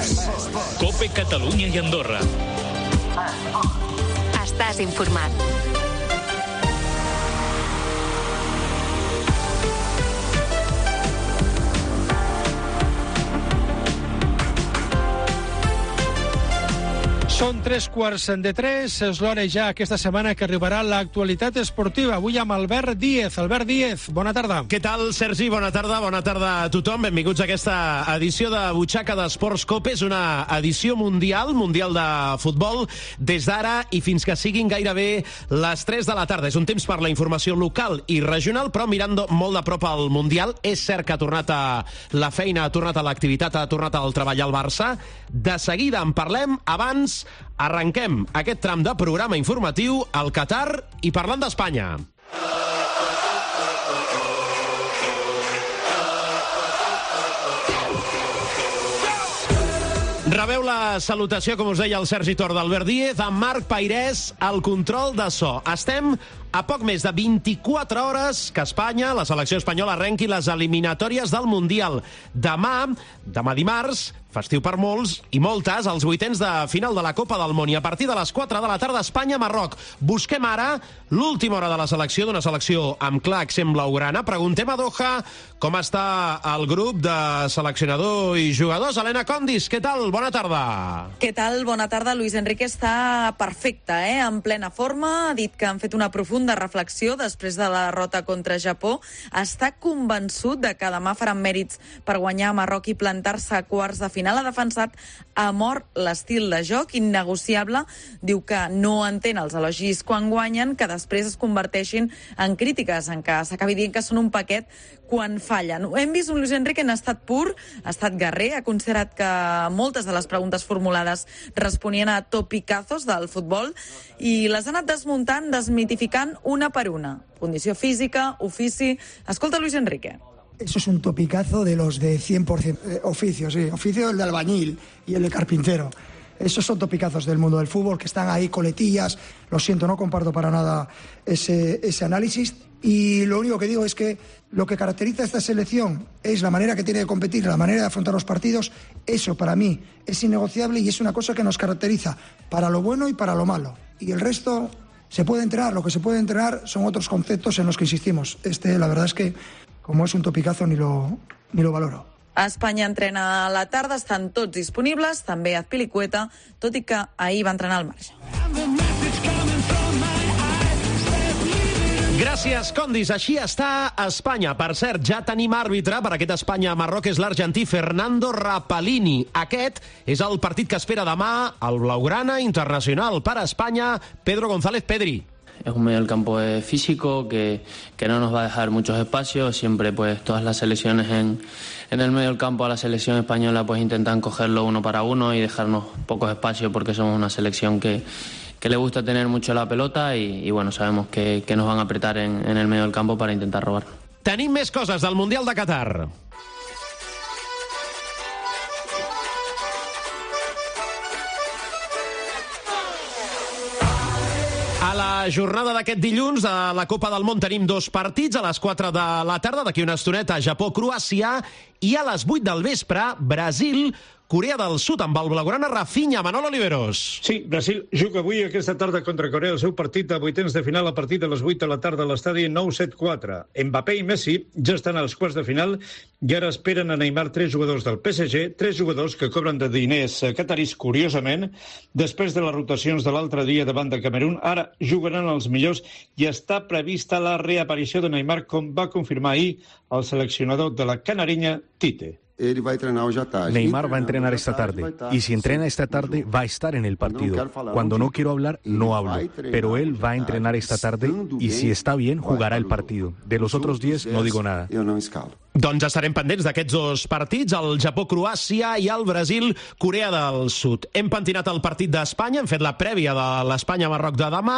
COPE Catalunya i Andorra. Estàs informat. Són 3:15, és l'hora ja aquesta setmana que arribarà l'actualitat esportiva. Avui amb Albert Díez. Albert Díez, bona tarda. Què tal, Sergi? Bona tarda a tothom. Benvinguts a aquesta edició de Butxaca d'Esports COPE. És una edició mundial de futbol, des d'ara i fins que siguin gairebé les 3 de la tarda. És un temps per la informació local i regional, però mirant molt de prop al Mundial. És cert que ha tornat a la feina, ha tornat a l'activitat, ha tornat al treball al Barça. De seguida en parlem. Abans arrenquem aquest tram de programa informatiu al Qatar i parlant d'Espanya. Rebeu la salutació, com us deia el Sergi Tor, d'Albert Díez, amb Marc Pairès al control de so. Estem a poc més de 24 hores que Espanya, la selecció espanyola, arrenqui les eliminatòries del Mundial. Demà dimarts, festiu per molts i moltes, els vuitens de final de la Copa del Món. I a partir de les 4 de la tarda, Espanya-Marroc. Busquem ara l'última hora de la selecció, d'una selecció amb clar accent blaugrana. Preguntem a Doha com està el grup de seleccionador i jugadors. Helena Condis, què tal? Bona tarda. Què tal? Bona tarda. Luis Enrique està perfecte, en plena forma. Ha dit que han fet una profunda reflexió després de la derrota contra Japó. Està convençut de que demà faran mèrits per guanyar a Marroc i plantar-se a quarts de final. Ha defensat a mort l'estil de joc innegociable. Diu que no entén els elogis quan guanyen, que després es converteixin en crítiques, en què s'acabi dient que són un paquet quan fallen. Hem vist un Luis Enrique en estat pur, ha estat guerrer, ha considerat que moltes de les preguntes formulades responien a topicazos del futbol i les ha anat desmuntant, desmitificant una per una. Condició física, ofici... Escolta Luis Enrique. Eso es un topicazo de los de 100% oficios, sí. Oficio el de albañil y el de carpintero. Esos son topicazos del mundo del fútbol que están ahí, coletillas. Lo siento, no comparto para nada ese análisis. Y lo único que digo es que lo que caracteriza a esta selección es la manera que tiene de competir, la manera de afrontar los partidos. Eso para mí es innegociable y es una cosa que nos caracteriza para lo bueno y para lo malo. Y el resto se puede entrenar. Lo que se puede entrenar son otros conceptos en los que insistimos. La verdad es que, como es un topicazo, ni lo valoro. Espanya entrena a la tarda, estan tots disponibles, també Azpilicueta, tot i que ahir va entrenar al marge. Gràcies, Condis. Així està Espanya. Per cert, ja tenim àrbitre per aquest Espanya-Marroc, és l'argentí Fernando Rapalini. Aquest és el partit que espera demà el blaugrana internacional per Espanya, Pedro González Pedri. Es un medio del campo físico que no nos va a dejar muchos espacios. Siempre pues todas las selecciones en el medio del campo a la selección española pues intentan cogerlo uno para uno y dejarnos pocos espacios porque somos una selección que le gusta tener mucho la pelota y bueno, sabemos que nos van a apretar en el medio del campo para intentar robar. Tenim més coses del Mundial de Qatar. A la jornada d'aquest dilluns a la Copa del Món tenim 2 partits. A les 4 de la tarda, d'aquí una estoneta, Japó-Croàcia, i a les 8 del vespre, Brasil, Corea del Sud, amb el blaugrana Rafinha. Manol Oliveros. Sí, Brasil juga avui aquesta tarda contra Corea el seu partit de vuitens de final a partir de les 8 de la tarda a l'estadi 974. Mbappé i Messi ja estan als quarts de final i ara esperen a Neymar 3 jugadors del PSG, 3 jugadors que cobren de diners catarís, curiosament. Després de les rotacions de l'altre dia davant de Camerún, ara jugaran els millors i està prevista la reaparició de Neymar, com va confirmar ahir el seleccionador de la Canariña, Tite. Neymar va a entrenar esta tarde, y si entrena esta tarde va a estar en el partido. Cuando no quiero hablar, no hablo, pero él va a entrenar esta tarde y si está bien, jugará el partido. De los otros 10 no digo nada. Doncs estarem pendents d'aquests 2 partits, el Japó-Croàcia i el Brasil-Corea del Sud. Hem pentinat el partit d'Espanya, hem fet la prèvia de l'Espanya-Marroc de demà,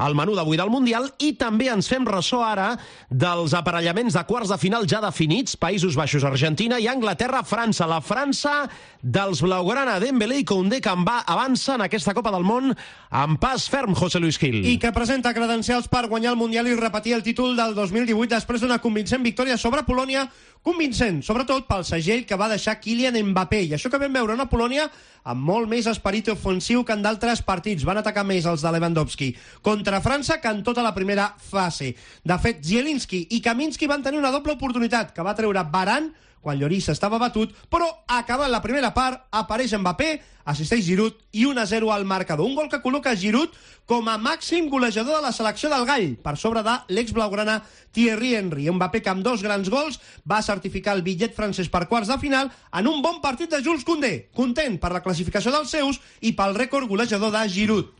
el menú d'avui del Mundial, i també ens fem ressò ara dels aparellaments de quarts de final ja definits, Països Baixos, Argentina i Anglaterra-França. La França dels blaugrana Dembélé i Koundé, que avança en aquesta Copa del Món amb pas ferm, José Luis Gil. I que presenta credencials per guanyar el Mundial i repetir el títol del 2018 després d'una convincent victòria sobre Polònia convincent, sobretot pel segell que va deixar Kylian Mbappé. I això que vam veure una Polònia amb molt més esperit ofensiu que en d'altres partits. Van atacar més els de Lewandowski contra França que en tota la primera fase. De fet, Zielinski i Kaminski van tenir una doble oportunitat que va treure Varane quan Lloris estava batut, però acabant la primera part apareix Mbappé, assisteix Giroud i 1-0 al marcador. Un gol que col·loca Giroud com a màxim golejador de la selecció del Gall, per sobre de l'ex-blaugrana Thierry Henry. Mbappé, que amb 2 grans gols, va certificar el bitllet francès per quarts de final en un bon partit de Jules Koundé, content per la classificació dels seus i pel rècord golejador de Giroud.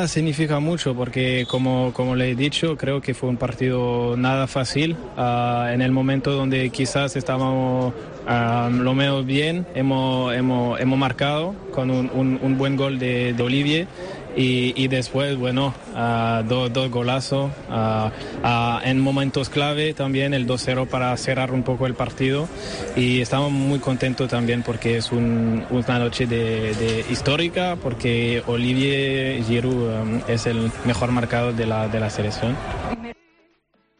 Significa mucho porque, como le he dicho, creo que fue un partido nada fácil. En el momento donde quizás estábamos lo menos bien, hemos marcado con un buen gol de Olivier. Y después, bueno, dos golazos en momentos clave también, el 2-0 para cerrar un poco el partido, y estamos muy contentos también porque es una noche de histórica, porque Olivier Giroud es el mejor marcador de la selección.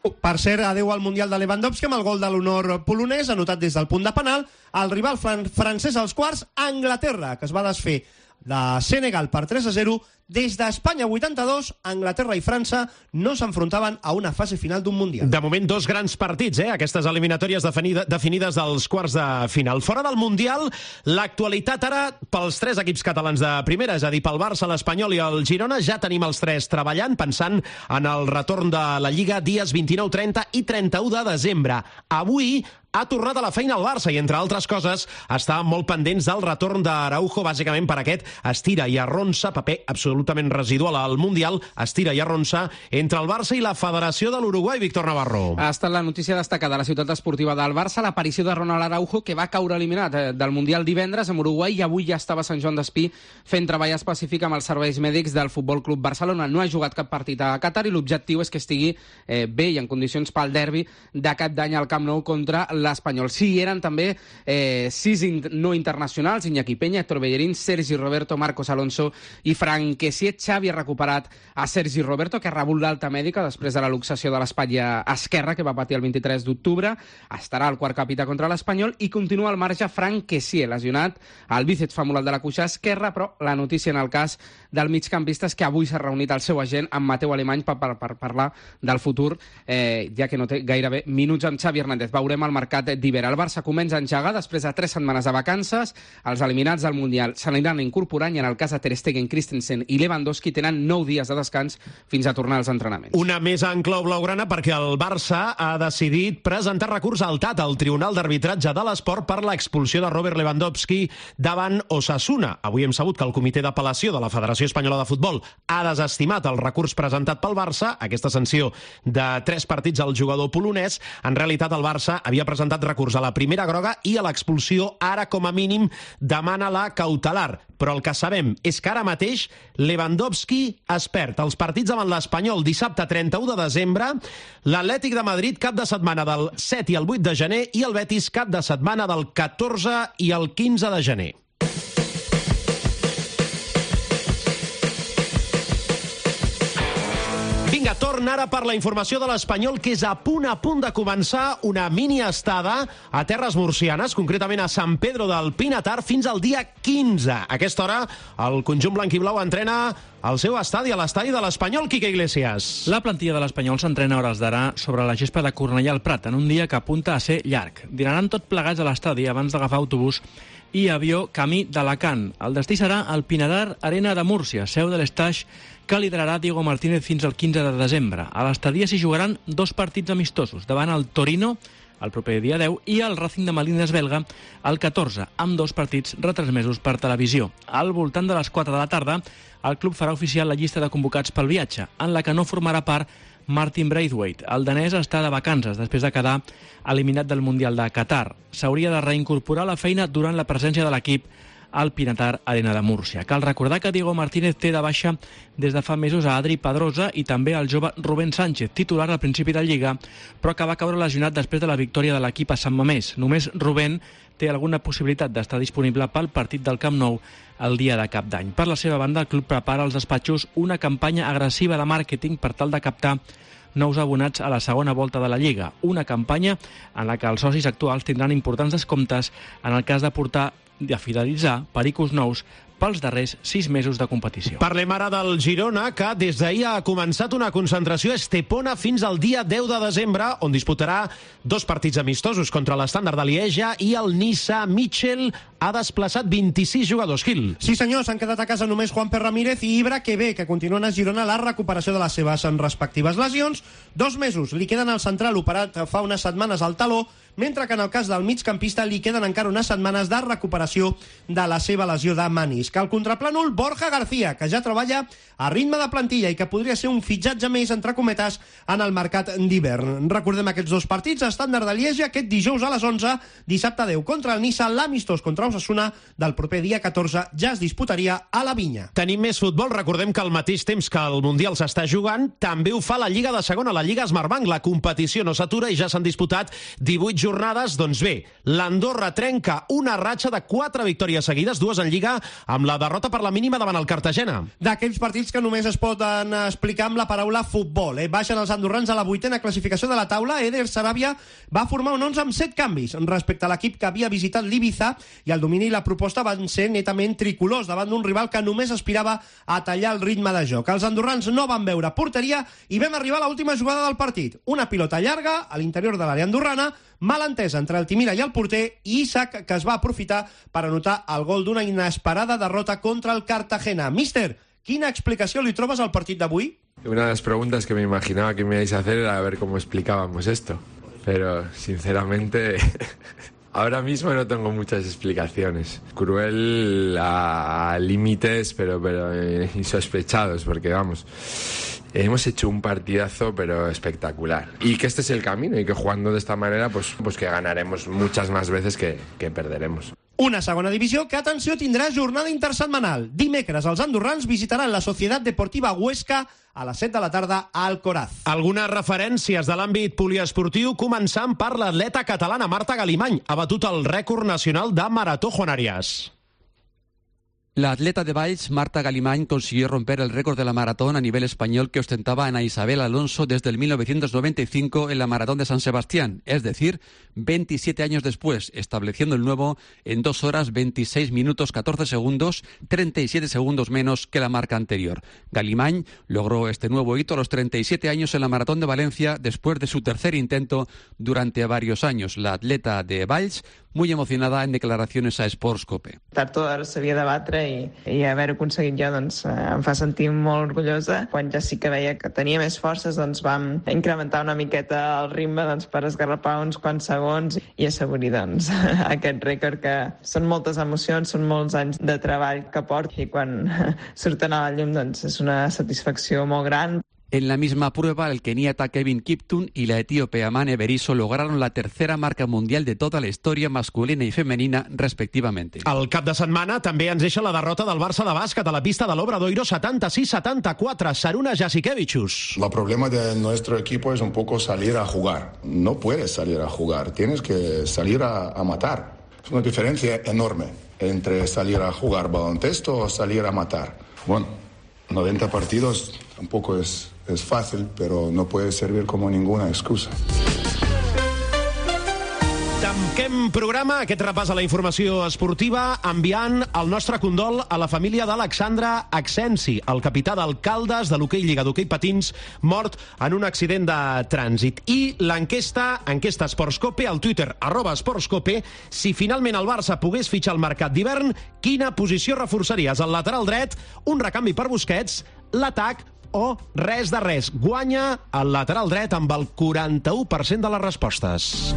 Per cert, adeu al Mundial de Lewandowski amb el gol de l'honor polonès, anotat des del punt de penal. El rival francès als quarts, Anglaterra, que es va desfer de Senegal per 3-0. Des d'Espanya 82, Anglaterra i França no s'enfrontaven a una fase final d'un Mundial. De moment, 2 grans partits, aquestes eliminatòries definides dels quarts de final. Fora del Mundial, l'actualitat ara pels 3 equips catalans de primera, és a dir, pel Barça, l'Espanyol i el Girona. Ja tenim els 3 treballant, pensant en el retorn de la Lliga dies 29, 30 i 31 de desembre. Avui ha tornat a la feina el Barça i, entre altres coses, està molt pendents del retorn d'Araujo, bàsicament per aquest estira i arronsa, paper absolutament residual al Mundial, estira i arronsa entre el Barça i la Federació de l'Uruguai. Víctor Navarro. Ha estat la notícia destacada a la ciutat esportiva del Barça, l'aparició de Ronald Araujo, que va caure eliminat del Mundial divendres amb Uruguai i avui ja estava a Sant Joan d'Espí fent treball específic amb els serveis mèdics del Futbol Club Barcelona. No ha jugat cap partit a Qatar i l'objectiu és que estigui bé i en condicions pel derbi de Cap d'Any al Camp Nou contra l'Espanyol. Sí, eren també 6 no internacionals: Iñaki Peña, Héctor Bellerín, Sergi Roberto, Marcos Alonso i Frank Kessié. Xavi ha recuperat a Sergi Roberto, que ha rebut l'alta mèdica després de la luxació de l'espatlla esquerra que va patir el 23 d'octubre. Estarà al quart capità contra l'Espanyol i continua al marge Frank Kessié, lesionat al bíceps femoral de la cuixa esquerra, però la notícia en el cas del migcampista és que avui s'ha reunit el seu agent amb Mateu Alemany per parlar del futur, ja que no té gairebé minuts amb Xavi Hernández. Veurem el mercat d'hivern. El Barça comença a engegar després de 3 setmanes de vacances. Els eliminats del Mundial se n'aniran incorporant i en el cas de Ter Stegen, Christensen i Lewandowski tenen 9 dies de descans fins a tornar als entrenaments. Una més en clau blaugrana perquè el Barça ha decidit presentar recurs al TAT, al Tribunal d'Arbitratge de l'Esport, per l'expulsió de Robert Lewandowski davant Osasuna. Avui hem sabut que el Comitè d'Apel·lació de la Federació Espanyola de Futbol ha desestimat el recurs presentat pel Barça, aquesta sanció de 3 partits al jugador polonès. En realitat, el Barça havia presentat recurs a la primera groga i a l'expulsió. Ara, com a mínim, demana la cautelar. Però el que sabem és que ara mateix Lewandowski es perd els partits davant l'Espanyol dissabte 31 de desembre, l'Atlètic de Madrid cap de setmana del 7 i el 8 de gener i el Betis cap de setmana del 14 i el 15 de gener. Vinga, torna ara per la informació de l'Espanyol, que és a punt de començar una mini estada a terres murcianes, concretament a Sant Pedro del Pinatar, fins al dia 15. A aquesta hora, el conjunt blanquiblau entrena al seu estadi, a l'estadi de l'Espanyol. Quique Iglesias. La plantilla de l'Espanyol s'entrena a hores d'ara sobre la gespa de Cornellà al Prat, en un dia que apunta a ser llarg. Dinaran tot plegats a l'estadi abans d'agafar autobús i avió camí d'Alacant. El destí serà el Pinatar Arena de Múrcia, seu de l'Estaix, que liderarà Diego Martínez fins al 15 de desembre. A l'estadia s'hi jugaran 2 partits amistosos, davant el Torino el proper dia 10 i el Racing de Malines belga el 14, amb 2 partits retransmesos per televisió. Al voltant de les 4 de la tarda, el club farà oficial la llista de convocats pel viatge, en la que no formarà part Martin Braithwaite. El danès està de vacances després de quedar eliminat del Mundial de Qatar. S'hauria de reincorporar a la feina durant la presència de l'equip al Pinatar Arena de Múrcia. Cal recordar que Diego Martínez té de baixa des de fa mesos a Adri Pedrosa i també al jove Rubén Sánchez, titular al principi de Lliga, però que va caure lesionat després de la victòria de l'equip a Sant Mamés. Només Rubén té alguna possibilitat d'estar disponible pel partit del Camp Nou el dia de Cap d'Any. Per la seva banda, el club prepara als despatxos una campanya agressiva de màrqueting per tal de captar nous abonats a la segona volta de la Lliga, una campanya en la que els socis actuals tindran importants descomptes en el cas de fidelitzar pericos nous pels darrers 6 mesos de competició. Parlem ara del Girona, que des d'ahir ha començat una concentració a Estepona fins al dia 10 de desembre, on disputarà 2 partits amistosos contra l'Estàndard de Lieja i el Niça. Mitchell ha desplaçat 26 jugadors. Gil. Sí, senyor, s'han quedat a casa només Juanper Ramírez i Ibra, que bé, que continuen a Girona la recuperació de les seves respectives lesions. 2 mesos li queden al central operat fa unes setmanes al taló, mentre que en el cas del migcampista li queden encara unes setmanes de recuperació de la seva lesió de menisc. Al contraplànol, Borja García, que ja treballa a ritme de plantilla i que podria ser un fitxatge més, entre cometes, en el mercat d'hivern. Recordem aquests 2 partits, Estàndard de Lieja aquest dijous a les 11, dissabte 10 contra el Niça, l'amistós contra Osasuna del proper dia 14 ja es disputaria a la Vinya. Tenim més futbol, recordem que al mateix temps que el Mundial s'està jugant, també ho fa la Lliga de Segona, la Lliga Smartbank. La competició no s'atura i ja s'han disputat 18 jornades. Doncs bé, l'Andorra trenca una ratxa de 4 victòries seguides, 2 en Lliga, amb la derrota per la mínima davant el Cartagena. D'aquells partits que només es poden explicar amb la paraula futbol. Baixen els andorrans a la 8a classificació de la taula. Eder Sarabia va formar un 11 amb 7 canvis respecte a l'equip que havia visitat l'Ibiza, i el domini i la proposta van ser netament tricolors davant d'un rival que només aspirava a tallar el ritme de joc. Els andorrans no van veure porteria i vam arribar a l'última jugada del partit. Una pilota llarga a l'interior de l'àrea andorrana, malentesa entre Altimira i el porter, i Isaac, que es va aprofitar per anotar el gol d'una inesperada derrota contra el Cartagena. Míster, quina explicació li trobes al partit d'avui? Una de las preguntas que me imaginaba que me ibais a hacer era a ver cómo explicábamos esto. Pero, sinceramente, ahora mismo no tengo muchas explicaciones. Cruel a límites, pero insospechados, porque vamos, hemos hecho un partidazo pero espectacular. Y que este es el camino y que jugando de esta manera pues que ganaremos muchas más veces que perderemos. Una segona divisió que, atenció, tindrà jornada intersetmanal. Dimecres els andorrans visitaran la Societat Deportiva Huesca a les 7 de la tarda a Alcoraz. Algunes referències de l'àmbit poliesportiu, començant per l'atleta catalana Marta Galimany. Ha batut el rècord nacional de marató Juan Arias. La atleta de Valls, Marta Galimany, consiguió romper el récord de la maratón a nivel español que ostentaba Ana Isabel Alonso desde el 1995 en la Maratón de San Sebastián, es decir, 27 años después, estableciendo el nuevo en 2 horas 26 minutos 14 segundos, 37 segundos menos que la marca anterior. Galimany logró este nuevo hito a los 37 años en la Maratón de Valencia después de su tercer intento durante varios años. La atleta de Valls, muy emocionada en declaraciones a Sportscope. Tard o d'hora s'havia de batre i haver-ho aconseguit jo em fa sentir molt orgullosa. Quan ja sí que veia que tenia més forces, vam incrementar una miqueta el ritme per esgarrapar uns quants segons i assaborir aquest rècord, que són moltes emocions, són molts anys de treball que porto, i quan surten a la llum és una satisfacció molt gran. En la misma prueba, el keniata Kevin Kiptun y la etíope Amane Beriso lograron la tercera marca mundial de toda la historia masculina y femenina, respectivamente. El cap de setmana també ens deixa la derrota del Barça de bàsquet a la pista de l'Obradoiro, 76-74, Saruna Jasikevičius. El problema de nuestro equipo es un poco salir a jugar. No puedes salir a jugar, tienes que salir a matar. Es una diferencia enorme entre salir a jugar baloncesto o salir a matar. Bueno, 90 partidos tampoco es fácil, pero no puede servir como ninguna excusa. Tanquem programa, aquest repàs a la informació esportiva, enviant el nostre condol a la família d'Alexandre Axensi, el capità del Caldes de l'hoquei Lliga d'Hoquei Patins, mort en un accident de trànsit. I l'enquesta Sportscope, al Twitter, @Sportscope, si finalment el Barça pogués fitxar al mercat d'hivern, quina posició reforçaries? El lateral dret, un recanvi per Busquets, l'atac o res de res? Guanya el lateral dret amb el 41% de les respostes.